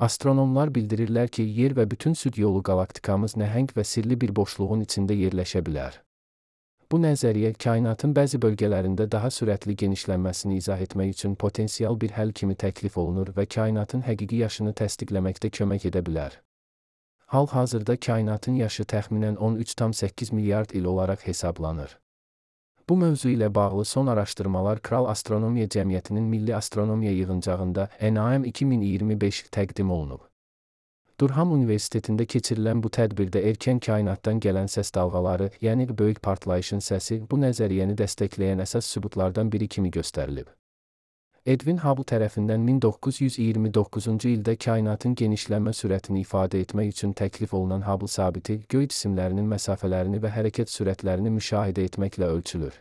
Astronomlar bildirirlər ki, Yer və bütün süd yolu qalaktikamız nəhəng və sirli bir boşluğun içində yerləşə bilər. Bu nəzəriyyə kainatın bəzi bölgələrində daha sürətli genişlənməsini izah etmək üçün potensial bir həll kimi təklif olunur və kainatın həqiqi yaşını təsdiqləməkdə kömək edə bilər. Hal-hazırda kainatın yaşı təxminən 13,8 milyard il olaraq hesablanır. Bu mövzu ilə bağlı son araşdırmalar Kral Astronomiya Cəmiyyətinin Milli Astronomiya Yığıncağında NAM 2025 təqdim olunub. Durham Universitetində keçirilən bu tədbirdə erkən kainatdan gələn səs dalğaları, yəni böyük partlayışın səsi, bu nəzəriyyəni dəstəkləyən əsas sübutlardan biri kimi göstərilib. Edwin Hubble tərəfindən 1929-cu ildə kainatın genişlənmə sürətini ifadə etmək üçün təklif olunan Hubble sabiti, göy cisimlərinin məsafələrini və hərəkət sürətlərini müşahidə etməklə ölçülür.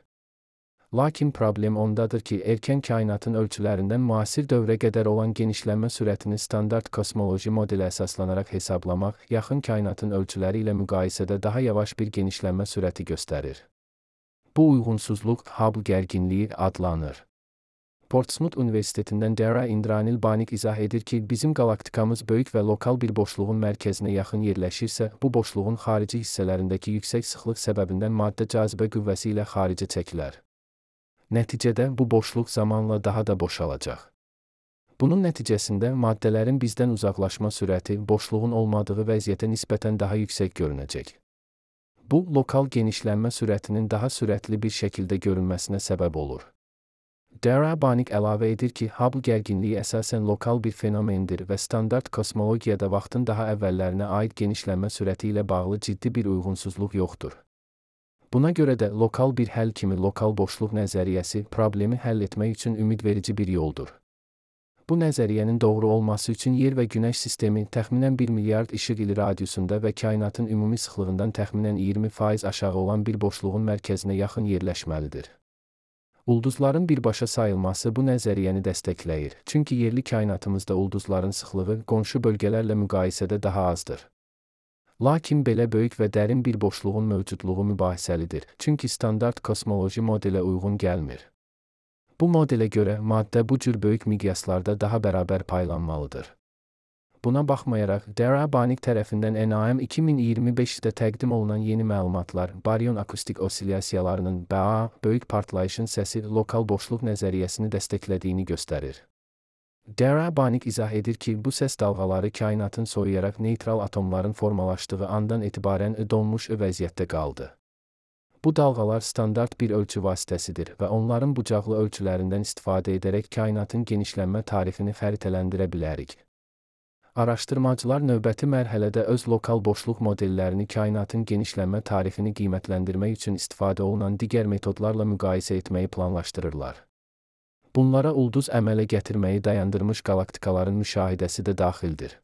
Lakin problem ondadır ki, erkən kainatın ölçülərindən müasir dövrə qədər olan genişlənmə sürətini standart kosmoloji modelə əsaslanaraq hesablamaq, yaxın kainatın ölçüləri ilə müqayisədə daha yavaş bir genişlənmə sürəti göstərir. Bu uyğunsuzluq Hubble gərginliyi adlanır. Portsmouth Universitetindən Dara Indranil Banik izah edir ki, bizim qalaktikamız böyük və lokal bir boşluğun mərkəzinə yaxın yerləşirsə, bu boşluğun xarici hissələrindəki yüksək sıxlıq səbəbindən maddə cazibə qüvvəsi ilə xaricə çəkilər. Nəticədə bu boşluq zamanla daha da boşalacaq. Bunun nəticəsində maddələrin bizdən uzaqlaşma sürəti boşluğun olmadığı vəziyyətə nisbətən daha yüksək görünəcək. Bu, lokal genişlənmə sürətinin daha sürətli bir şəkildə görünməsinə səbəb olur. Dara Banik əlavə edir ki, Hubble gərginliyi əsasən lokal bir fenomendir və standart kosmologiyada vaxtın daha əvvəllərinə aid genişlənmə sürəti ilə bağlı ciddi bir uyğunsuzluq yoxdur. Buna görə də lokal bir həll kimi lokal boşluq nəzəriyyəsi problemi həll etmək üçün ümidverici bir yoldur. Bu nəzəriyyənin doğru olması üçün Yer və Günəş sistemi təxminən 1 milyard işıq ili radiusunda və kainatın ümumi sıxlığından təxminən 20% aşağı olan bir boşluğun mərkəzinə yaxın yerləşməlidir. Ulduzların birbaşa sayılması bu nəzəriyyəni dəstəkləyir, çünki yerli kainatımızda ulduzların sıxlığı qonşu bölgələrlə müqayisədə daha azdır. Lakin belə böyük və dərin bir boşluğun mövcudluğu mübahisəlidir, çünki standart kosmoloji modelə uyğun gəlmir. Bu modelə görə maddə bu cür böyük miqyaslarda daha bərabər paylanmalıdır. Buna baxmayaraq, Dara Banik tərəfindən NAM 2025-də təqdim olunan yeni məlumatlar, baryon akustik osilyasiyalarının BA, böyük partlayışın səsi lokal boşluq nəzəriyyəsini dəstəklədiyini göstərir. Dara Banik izah edir ki, bu səs dalğaları kainatın soyuyaraq neytral atomların formalaşdığı andan etibarən donmuş vəziyyətdə qaldı. Bu dalğalar standart bir ölçü vasitəsidir və onların bucaqlı ölçülərindən istifadə edərək kainatın genişlənmə tarixini xəritələndirə bilərik. Araşdırmacılar növbəti mərhələdə öz lokal boşluq modellərini kainatın genişlənmə tarixini qiymətləndirmək üçün istifadə olunan digər metodlarla müqayisə etməyi planlaşdırırlar. Bunlara ulduz əmələ gətirməyi dayandırmış qalaktikaların müşahidəsi də daxildir.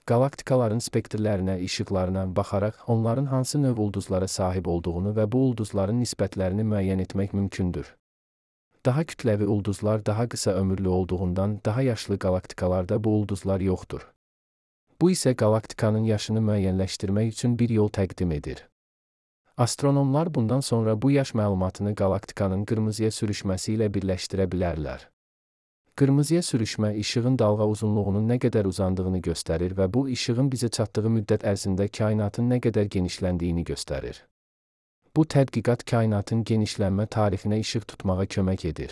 Qalaktikaların spektrlərinə, işıqlarına baxaraq onların hansı növ ulduzlara sahib olduğunu və bu ulduzların nisbətlərini müəyyən etmək mümkündür. Daha kütləvi ulduzlar daha qısa ömürlü olduğundan daha yaşlı qalaktikalarda bu ulduzlar yoxdur. Bu isə qalaktikanın yaşını müəyyənləşdirmək üçün bir yol təqdim edir. Astronomlar bundan sonra bu yaş məlumatını qalaktikanın qırmızıya sürüşməsi ilə birləşdirə bilərlər. Qırmızıya sürüşmə işığın dalğa uzunluğunun nə qədər uzandığını göstərir və bu işığın bizə çatdığı müddət ərzində kainatın nə qədər genişləndiyini göstərir. Bu tədqiqat kainatın genişlənmə tarixinə işıq tutmağa kömək edir.